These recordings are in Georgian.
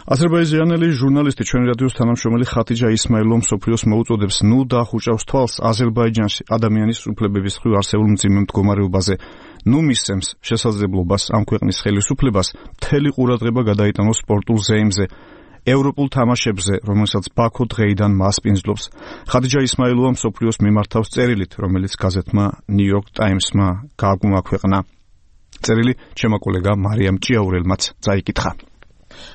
აზერბაიჯანელი ჟურნალისტი ჩვენი რადიოს თანამშრომელი ხათიჯა ისმაილოვ მსოფლიოს მოუწოდებს ნუ დაახუჭავს თვალს აზერბაიჯანში ადამიანის უფლებების მხრივ არსებულ მძიმე მდგომარეობაზე. ნუ მისცემს შესაძლებლობას ამ ქვეყნის ხელისუფლებას მთელი ყურადღება გადაიტანოს სპორტულ ზეიმზე, ევროპულ თამაშებზე, რომელსაც ბაქო დღეიდან მასპინძლობს. ხათიჯა ისმაილოვა მსოფლიოს მიმართავს წერილით, რომელიც გაზეთმა New York Times-მა გააგვაქვეყნა. წერილი ჩემო კოლეგა მარიამ ჭიაურელმაც წაიკითხა.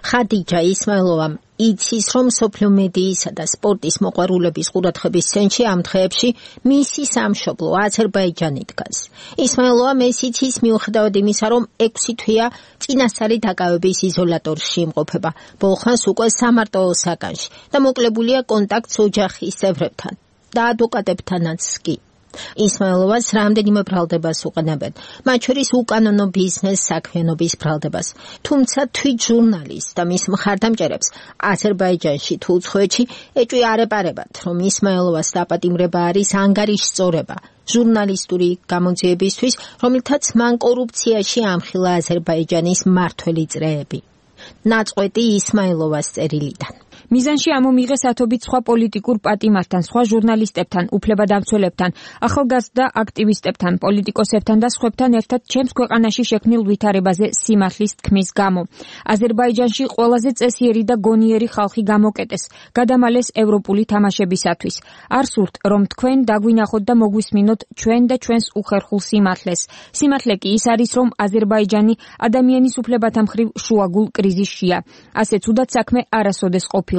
ხათიჯა ისმაილოვამ იცის, რომ მსოფლიო მედიისა და სპორტის მოყვარულების ყურადღების ცენტრში ამ დღეებში მისი სამშობლო აზერბაიჯანი დგას. ისმაილოვამ ეს იცის მიუხედავად იმისა, რომ 6 თვეა წინასწარი დაკავების იზოლატორში იმყოფება, ბოლხანს უკვე სამარტოო საგანში და მოკლებულია კონტაქტს ოჯახის წევრებთან და ადვოკატებთანაც კი. ისმაილოვას რამდენიმე ბრალდებას უყენებენ, მათ შორის უკანონო ბიზნეს საქმიანობის ბრალდებას. თუმცა თვით ჟურნალისტს და მის მხარდამჭერებს აზერბაიჯანში თუ უცხოეთში ეჭვი არ ეპარებათ, რომ ისმაილოვას დაპატიმრება არის ანგარიშსწორება ჟურნალისტური გამოძიებისთვის, რომელთაც მან კორუფციაში ამხილა აზერბაიჯანის მმართველი წრეები. ნაწყვეტი ისმაილოვას წერილიდან. მიზანში ამომიღეს ათობით სხვა პოლიტიკურ პატიმართან, სხვა ჟურნალისტებთან, უფლებადამცველებთან, ახალგაზრდა აქტივისტებთან, პოლიტიკოსებთან და სხვებთან ერთად ჩემს ქვეყანაში შექმნილ ვითარებაზე სიმართლის თქმის გამო. აზერბაიჯანში ყველაზე წესიერი და გონიერი ხალხი გამოკეტეს, გადამალეს ევროპული თამაშებისათვის. არ სურთ, რომ თქვენ დაგვინახოთ და მოგვისმინოთ ჩვენ და ჩვენს უხერხულ სიმართლეს. სიმართლე კი ის არის, რომ აზერბაიჯანი ადამიანის უფლებათა მხრივ შუაგულ კრიზისშია. ასე ცუდად საქმე არასოდეს ყოფილა.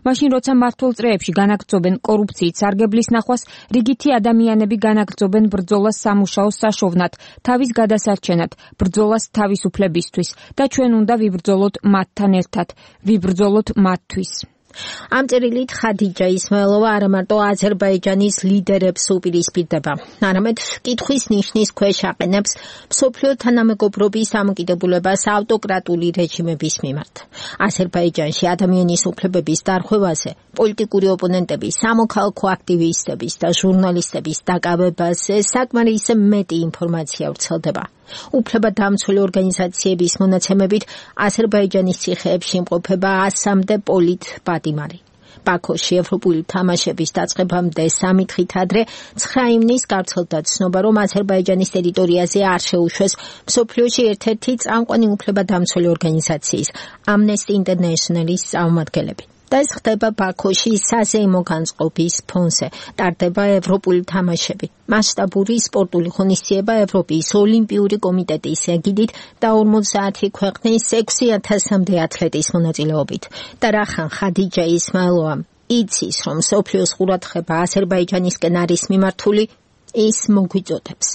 მაშინ როცა მმართველ წრეებში განაგრძობენ კორუფციით სარგებლის ნახვას, რიგითი ადამიანები განაგრძობენ ბრძოლას სამუშაოს საშოვნად, თავის გადასარჩენად, ბრძოლას თავისუფლებისთვის და ჩვენ უნდა ვიბრძოლოთ მათთან ერთად, ვიბრძოლოთ მათთვის. ამ წერილით ხათიჯა ისმაილოვა არა მარტო აზერბაიჯანის ლიდერებს უპირისპირდება, არამედ კითხვის ნიშნის ქვეშ აყენებს მსოფლიო თანამეგობრობის დამოკიდებულებას ავტოკრატული რეჟიმების მიმართ. აზერბაიჯანში ადამიანის უფლებების დარღვევაზე, პოლიტიკური ოპონენტების, სამოქალაქო აქტივისტების და ჟურნალისტების დაკავებაზე საკმარისი მეტი ინფორმაცია ვრცელდება. უფლებადამცველი ორგანიზაციების მონაცემებით აზერბაიჯანის ციხეებში იმყოფება 100-მდე პოლიტ პატიმარი. ბაქოში ევროპული თამაშების დაწყებამდე 3 დღით ადრე 9 ივნისს გავრცელდა ცნობა, რომ აზერბაიჯანის ტერიტორიაზე არ შეუშვეს მსოფლიოში ერთ-ერთი წამყვანი უფლებადამცველი ორგანიზაციის Amnesty International-ის წარმომადგენლები. და ეს ხდება ბაქოში საზეიმო განწყობის ფონზე. ტარდება ევროპული თამაშები. მასშტაბური სპორტული ღონისძიება ევროპის ოლიმპიური კომიტეტის ეგიდით და 50 ქვეყნის 6000-მდე ათლეტის მონაწილეობით. და რახან ხათიჯა ისმაილოვამ იცის, რომ მსოფლიოს ყურადღება აზერბაიჯანისკენ არის მიმართული, ის მოგვიწოდებს.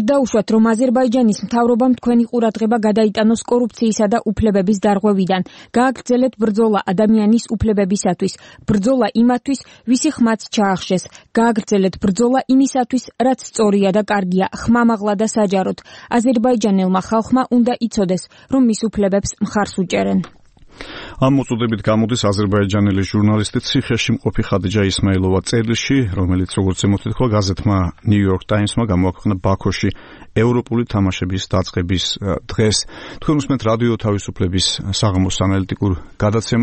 დაუშვათ, რომ აზერბაიჯანის მთავრობამ თქვენი ყურადღება გადაიტანოს კორუფციისა და უფლებების დარღვევიდან. გააგრძელეთ ბრძოლა ადამიანის უფლებებისათვის, ბრძოლა იმათვის, ვისი ხმაც ჩაახშეს. გააგრძელეთ ბრძოლა იმისათვის, რაც სწორია და კარგია, ხმამაღლა და საჯაროდ. აზერბაიჯანელმა ხალხმა უნდა იცოდეს, რომ მის უფლებებს მხარს უჭერენ. ამ მოწოდებით გამოდის აზერბაიჯანელი ჟურნალისტი ციხეში მყოფი ხათიჯა ისმაილოვა წერილში, რომელიც როგორც ემოთითქვა გაზეთმა New York Times-მა გამოაქვეყნა ბაქოში ევროპული თამაშების დაწყების დღეს. თქვენ უსმენთ რადიო თავისუფლების საღამოს ანალიტიკურ გადაცემას.